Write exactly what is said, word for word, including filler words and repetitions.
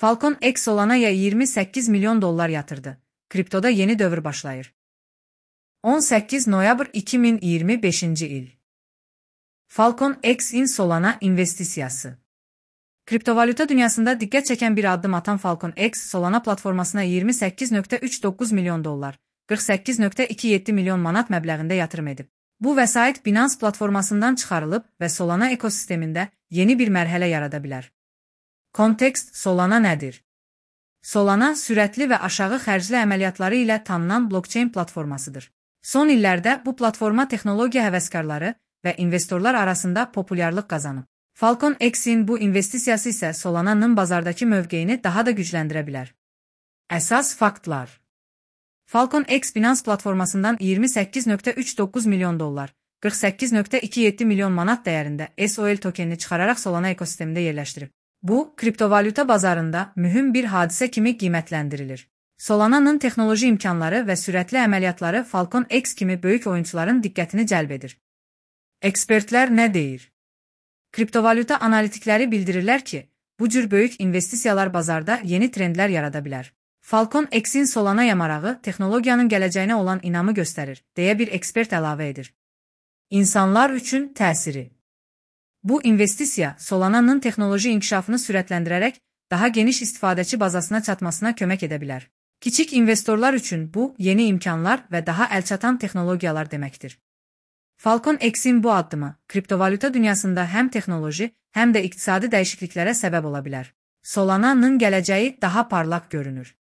Falcon X Solana'ya yirmi səkkiz milyon dollar yatırdı. Kriptoda yeni dövr başlayır. on səkkiz noyabr iki min iyirmi beşinci il. Falcon X'in Solana investisiyası. Kriptovalyuta dünyasında diqqət çəkən bir addım atan Falcon X, Solana platformasına yirmi səkkiz nöqtə üç doqquz milyon dollar, qırx səkkiz nöqtə iki yeddi milyon manat məbləğində yatırım edib. Bu vəsait Binance platformasından çıxarılıb və Solana ekosistemində yeni bir mərhələ yarada bilər. Kontekst: Solana nədir? Solana, sürətli və aşağı xərcli əməliyyatları ilə tanınan blockchain platformasıdır. Son illərdə bu platforma texnologiya həvəskarları və investorlar arasında populyarlıq qazanıb. Falcon X'in bu investisiyası isə Solana'nın bazardakı mövqeyini daha da gücləndirə bilər. Əsas faktlar: Falcon X Binance platformasından yirmi səkkiz nöqtə üç doqquz milyon dollar, qırx səkkiz nöqtə iki yeddi milyon manat dəyərində S O L tokenini çıxararaq Solana ekosistemində yerləşdirib. Bu, kriptovalyuta bazarında mühüm bir hadisə kimi qiymətləndirilir. Solana'nın texnoloji imkanları və sürətli əməliyyatları Falcon X kimi böyük oyunçuların diqqətini cəlb edir. Ekspertlər nə deyir? Kriptovalyuta analitikləri bildirirlər ki, bu cür böyük investisiyalar bazarda yeni trendlər yarada bilər. Falcon X'in Solana'ya marağı texnologiyanın gələcəyinə olan inamı göstərir, deyə bir ekspert əlavə edir. İnsanlar üçün təsiri. Bu investisiya Solana'nın texnoloji inkişafını sürətləndirərək daha geniş istifadəçi bazasına çatmasına kömək edə bilər. Kiçik investorlar üçün bu, yeni imkanlar və daha əlçatan texnologiyalar deməkdir. Falcon X'in bu addımı, kriptovalyuta dünyasında həm texnoloji, həm də iqtisadi dəyişikliklərə səbəb ola bilər. Solana'nın gələcəyi daha parlaq görünür.